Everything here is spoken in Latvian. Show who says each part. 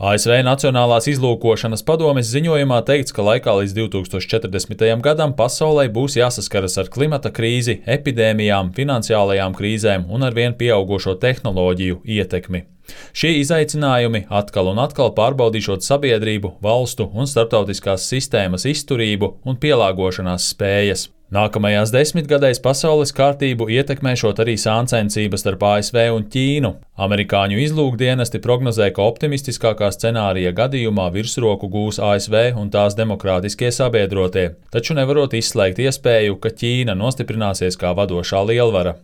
Speaker 1: ASV Nacionālās izlūkošanas padomes ziņojumā teikts, ka laikā līdz 2040. gadam pasaulē būs jāsaskaras ar klimata krīzi, epidēmijām, finansiālajām krīzēm un arvien pieaugušo tehnoloģiju ietekmi. Šie izaicinājumi atkal un atkal pārbaudīšot sabiedrību, valstu un starptautiskās sistēmas izturību un pielāgošanās spējas. Nākamajās desmitgadēs pasaules kārtību ietekmēšot arī sāncensības starp ASV un Ķīnu. Amerikāņu izlūkdienesti prognozē, ka optimistiskākā scenārija gadījumā virsroku gūs ASV un tās demokrātiskie sabiedrotie, taču nevarot izslēgt iespēju, ka Ķīna nostiprināsies kā vadošā lielvara.